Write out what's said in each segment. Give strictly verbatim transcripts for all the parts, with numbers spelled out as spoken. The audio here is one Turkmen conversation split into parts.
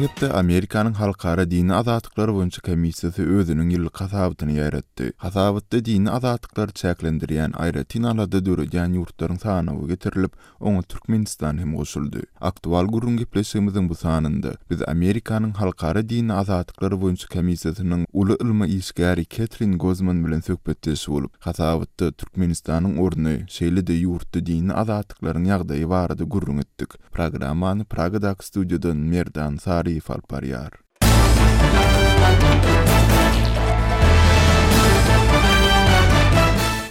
Geçen hepde Amerikanyň Halkara Dini Azatlyklary boýunça komissiýasy özüniň ýyllyk hasabatyny ýaýratdy. Hasabatda dini azatlyklary çäklendirýän, aýratyn alada döredýän ýurtlaryň sanawy getirilip, oňa Türkmenistan hem goşuldy. Aktual gürrüň gepleşigimiziň bu sanynda biz Amerikanyň Halkara Dini Azatlyklary boýunça komissiýasynyň uly ylmy işgäri Ketrin Gozman bilen söhbetdeş bolup, hasabatda Türkmenistanyň orny, şeýle-de ýurtda dini azatlyklaryň ýagdaýy barada gürrüň etdik. Programmany Pragadaky studiýadan Merdan Saryýew alyp barýar.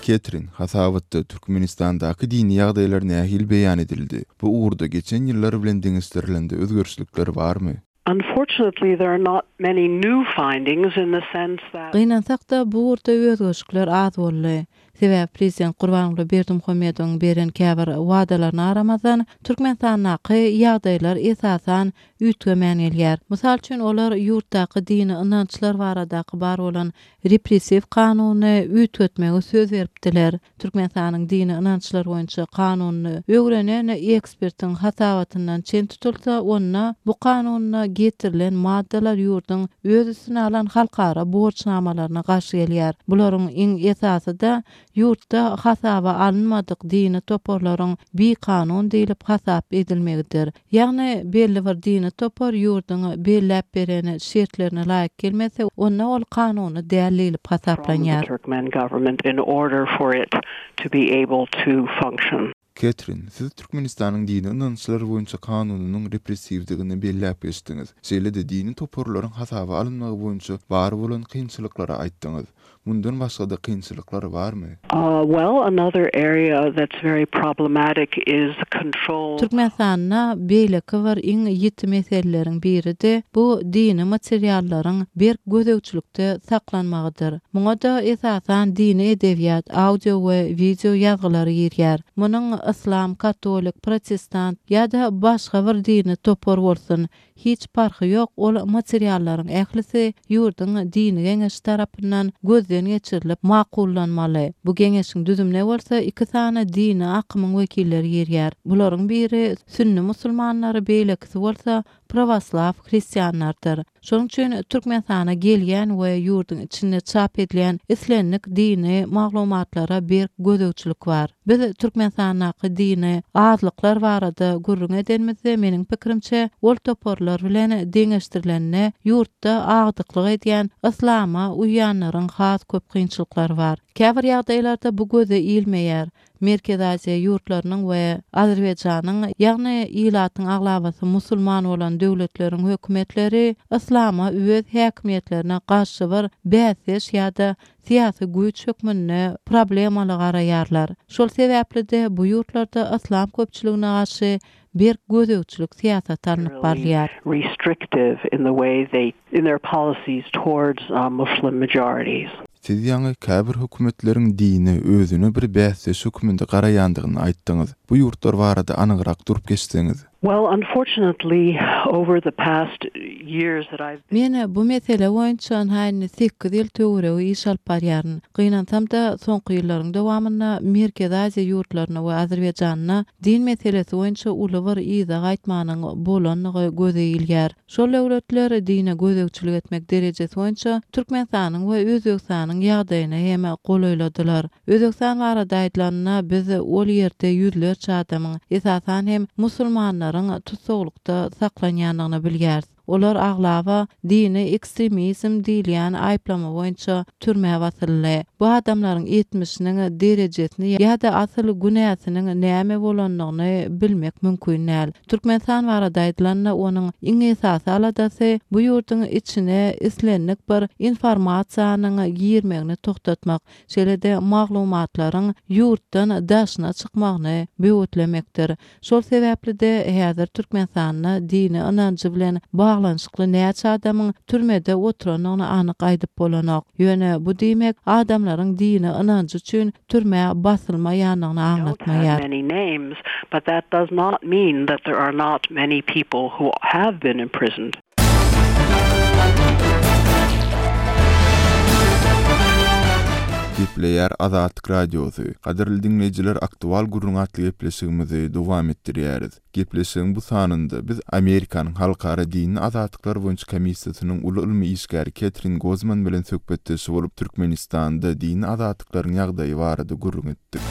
Ketrin, hasabatda Türkmenistandaky dini ýagdaýlar nähili beýan edildi? Bu ugurda geçen ýyllar bilen deňeşdirilende özgerişlikler barmy? Unfortunately, there are not many new findings in the sense that Gynansak-da, bu ugurda özgerişlikler az boldy. Sebäbi prezident Gurbanguly Berdimuhamedowyň beren käbir wadalaryna garamazdan, Türkmenistandaky ýagdaýlar esasan üýtgemän gelýär. Mysal üçin, olar ýurtdaky dini ynançlar baradaky bar bolan repressiw kanuny üýtgetmegi söz beripdiler. Türkmenistanyň dini ynançlar boýunça kanunyny öwrenen ekspertiň hasabatyndan çen tutulsa, onda bu kanunda getirilen maddalar ýurduň öz üstüne alan halkara borçnamalaryna garşy gelýär. Bularyň iň esasy-da ýurtda hasaba alynmadyk dini toparlaryň bikanun diýlip hasap edilmegidir. Ýagny belli bir dini topar ýurduň belläp beren şertlerine laýyk gelmese, onda ol kanuny däl diýlip from the hasaplanýar. Turkmen government in order for it to be able to function. Ketrin, siz Türkmenistanyň dini ynançlar boýunça kanunynyň repressiwdigini belläp geçdiňiz. Şeýle-de dini toparlaryň hasaba alynmagy boýunça bar bolan kynçylyklary aýtdyňyz. Mundan başga-da kynçylyklar barmy? Uh, well, another area that's very problematic is control Türkmenistanda beýleki bir iň ýiti meseleleriň biri-de bu dini materiallaryň berk gözegçilikde saklanmagydyr. Muňa-da esasan dini edebiýat, audio we wideo ýazgylary girýär. Munuň yslam, katolik, protestant ýa-da başga bir dini topar bolsun, hiç parhy ýok, ol materiallaryň ählisi ýurduň dini geňeşi tarapyndan gözden geçirilip makullanmaly. Bu geňeşiň düzümine bolsa iki sany dini akymyň wekilleri girýär. Bularyň biri sünni musulmanlary, beýlekisi bolsa pravoslaw hristianlardyr. Şonuň üçin Türkmenistana gelýän we ýurduň içinde çap edilen islendik dini maglumatlara berk gözegçilik bar. Biz Türkmenistandaky dini azlyklar barada gürrüň edenimizde meniň pikirimçe ol toparlar bilen deňeşdirilende ýurtda agdyklyk edýän yslama uýanlaryň has köp kynçylyklary bar. Käbir ýagdaýlarda bu göze ilmeýär. Merkezi Aziýa ýurtlarynyň we Azerbaýjanyň, ýagny ilatyň aglabasy musulman bolan döwletleriň hökümetleri yslama öz häkimiýetlerine garşy bir bäsdeş ýa-da syýasy güýç hökmünde problemaly garaýarlar. Şol sebäpli-de bu ýurtlarda yslam köpçüligine garşy berk gözegçilik syýasaty alnyp barylýar. restrictive in the way they in their policies towards uh, Muslim majorities. Siz ýaňy käbir hökümetleriň dini özüne bir bäsdeş hökmünde garaýandygyny aýtdyňyz. Bu ýurtlar barada anygrak durup geçseňiz. Well, unfortunately, over the past years that I've Men bu mesele boýunça ynha sekiz ýyl töweregi iş alyp barýaryn. Gynansam-da soňky ýyllaryň dowamynda Merkezi Aziýa ýurtlaryna we Azerbaýjanyna din meselesi boýunça uly bir yza gaýtmanyň bolandygy göze ilýär. Şol döwletler dine gözegçilik etmek derejesi boýunça Türkmenistanyň we Özbegistanyň ýagdaýyna hem golaýladylar. Özbegistan barada aýdylanda biz ol ýerde ýüzlerçe adamyň, esasan hem musulmanlaryň tussaglykda saklanýandygyny bilýäris. Olar aglaba dini ekstremizm diýilýän aýyplama boýunça türmä basyldy. Bu adamlaryň etmişiniň derejesini ýa-da asyl günäsiniň näme bolandygyny bilmek mümkin däl. Türkmenistan barada aýdylanda onuň iň esasy aladasy bu ýurduň içine islendik bir informasiýanyň girmegini toxtatmak, şeýle-de maglumatlaryň ýurtdan daşyna çykmagyny böwetlemekdir. Şol sebäpli-de häzir Türkmenistanda dini ynanjy bilen baglanyşykly näçe adamyň türmede oturandygyny anyk aýdyp bolanok. Ýöne bu diýmek adamlaryň dini ynanjy üçin türmä basylmaýandygyny don't have aňlatmaýar. many names, but that does not mean that there are not many people who have been imprisoned. Gepleýär Azatlyk Radiosy. Gadyrly diňleýjiler, Aktual gürrüň atly gepleşigimizi dowam etdirýäris. Gepleşigiň bu sanynda biz Amerikanyň Halkara dini azatlyklar boýunça komissiýasynyň uly ylmy işgäri Ketrin Gozman bilen söhbetdeş bolup, Türkmenistanda dini azatlyklaryň ýagdaýy barada gürrüň etdik.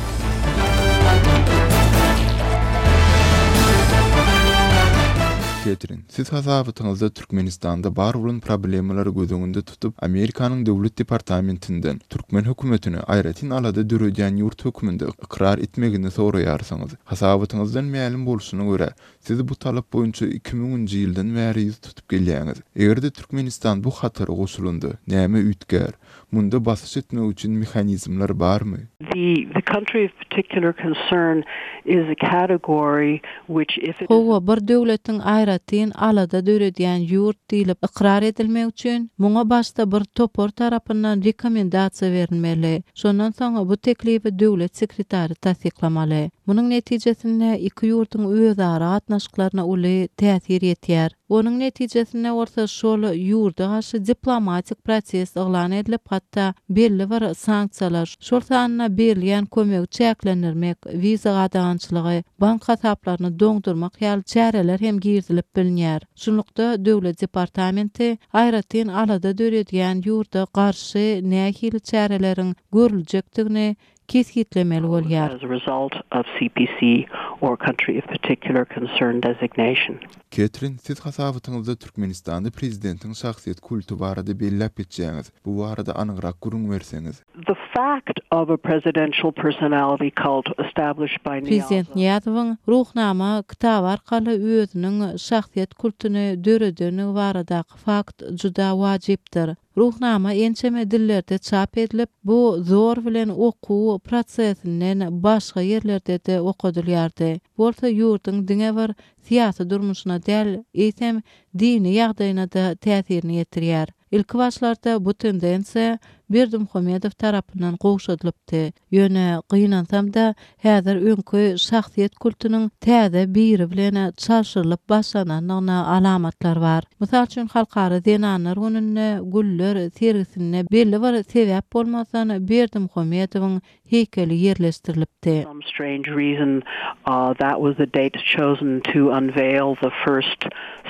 Ketrin, siz hasabatyňyzda Türkmenistanda bar bolan problemalary göz öňünde tutup, Amerikanyň Döwlet departamentinden türkmen hökümetine aýratyn alada döredýän ýurt hökmünde ykrar etmegini soraýarsyňyz. Hasabatyňyzdan mälim bolşuna görä, siz bu talap boýunça iki müňünji ýyldan bäri ýüz tutup gelýäňiz. Eger-de Türkmenistan bu hatara goşulanda, näme üýtgär? Munda basyş etmek üçin mehanizmler barmy? The, the country of particular concern is a category which if it is Hawa, bir döwletiň aýratyn alada döredýän ýurt diýlip ykrar edilmek üçin muňa başda bir topar tarapyndan rekomendasiýa berilmeli. Şondan soň bu teklibi döwlet sekretary tassyklamaly. Munuň netijesinde iki ýurduň özara gatnaşyklaryna uly täsir ýetýär. Onuň netijesinde bolsa şol ýurda garşy diplomatik proses yglan edilip, hatda belli bir sanksiýalar, şol sanda berilýän kömegi çäklendirmek, wiza gadagançylygy, bank hasaplaryny doňdurmak ýaly çäreler hem girizilip bilinýär. Şunlukda döwlet departamenti aýratyn alada döredýän ýurda garşy nähili çäreleriň görüljekdigini kesgitlemeli bolýar. as a result of C P C or country of particular concern designation. Ketrin, siz hasabatyňyzda Türkmenistanda prezidentiň şahsyýet kulty barada belläp geçýäňiz. Bu barada anygrak gürrüň berseňiz. The fact of a presidential personality cult established by Prezident Niyazov Niýazowyň Ruhnama kitaby arkaly özüniň şahsyýet kultuny döredenligi baradaky fakt juda wajypdyr. Ruhnama ençeme dillerde çap edilip, bu zor bilen okuw prosesinden başga ýerlerde-de okadylýardy. Bolsa ýurduň diňe bir syýasy durmuşyna däl, eýsem dini ýagdaýyna-da täsirini ýetirýär. Ilki başlarda bu tendensiýa Berdimuhamedow tarapyndan gowşadylypdy. Ýöne gynansam-da, häzir öňki şahsyýet kultunyň täze biri bilen çalşyrylyp başlanandygyna alamatlar bar. Mysal üçin, Halkara zenanlar gününde güller sergisinde belli bir sebäp bolmazdan Berdimuhamedowyň heýkeli ýerleşdirilipdi. Some strange reason, uh, that was the date chosen to unveil the first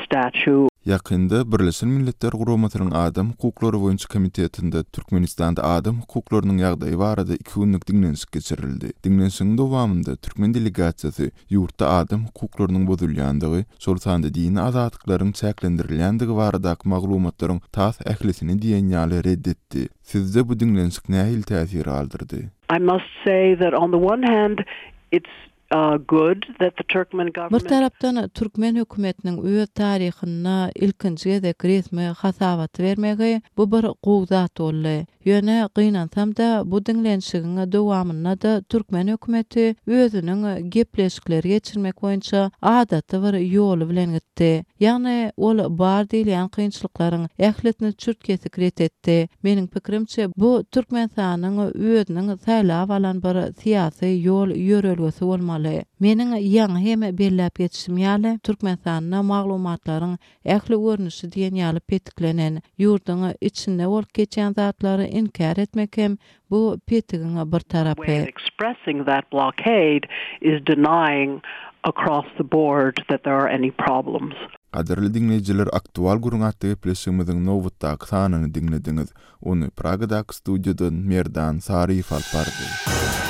statue. Ýakynda Birleşen Milletler Guramasynyň Adam hukuklary boýunça komitetinde Türkmenistanda adam hukuklarynyň ýagdaýy barada iki günlük diňlenişik geçirildi. Diňlenişigiň dowamynda türkmen delegasiýasy ýurtda adam hukuklarynyň bozulýandygy, şol sanda dini azatlyklaryň çäklendirilýändigi baradaky maglumatlaryň tas ählisini diýen ýaly red etdi. Sizde bu diňlenişik nähili täsir galdyrdy? I must say that on the one hand, it's uh, good that the Turkmen Bir government tarapdan türkmen hökümetiniň öz taryhynda ilkinji gezek resmi hasabaty bermegi bu bir gowy zat boldy. Ýöne gynansam-da, bu diňlenişigiň dowamynda-da türkmen hökümeti özüniň gepleşikleri geçirmek boýunça adaty bir ýoly bilen gitdi. Ýagny ol bar diýilýän kynçylyklaryň ählisini çürt kesik ret etdi. Meniň pikirimçe, bu Türkmenistanyň özüniň saýlap alan bir syýasy ýol ýörelgesi bolmaly. Meniň ýaňy hem belläp geçişim ýaly, Türkmenistanda maglumatlaryň ähli görnüşi diýen ýaly petiklenen, ýurduň içinde bolup geçýän zatlary inkär etmek hem bu petigiň bir way tarapy. Of expressing that blockade is denying across the board that there are any problems. Gadyrly diňleýjiler, Aktual gürrüň atly gepleşigimiziň nobatdaky sanyny diňlediňiz. Ony Pragadaky studiýadan Merdan Saryýew alyp bardy.